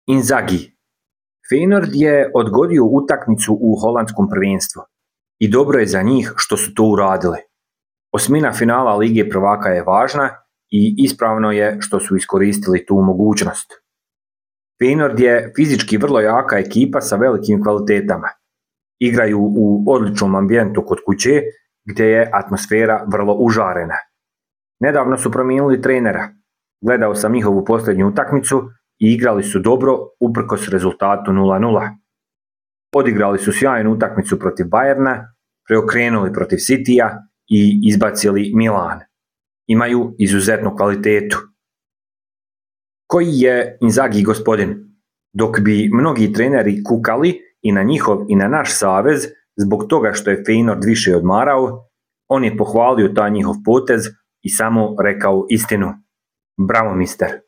Inzaghi. Feyenoord je odgodio utakmicu u holandskom prvenstvu i dobro je za njih što su to uradili. Osmina finala Lige prvaka je važna i ispravno je što su iskoristili tu mogućnost. Feyenoord je fizički vrlo jaka ekipa sa velikim kvalitetama. Igraju u odličnom ambijentu kod kuće gdje je atmosfera vrlo užarena. Nedavno su promijenili trenera. Gledao sam njihovu posljednju utakmicu i igrali su dobro uprkos rezultatu 0:0. Odigrali su sjajnu utakmicu protiv Bayerna, preokrenuli protiv Cityja i izbacili Milan. Imaju izuzetnu kvalitetu. Koji je Inzaghi gospodin? Dok bi mnogi treneri kukali i na njihov i na naš savez zbog toga što je Feyenoord više odmarao, on je pohvalio taj njihov potez i samo rekao istinu. Bravo, mister.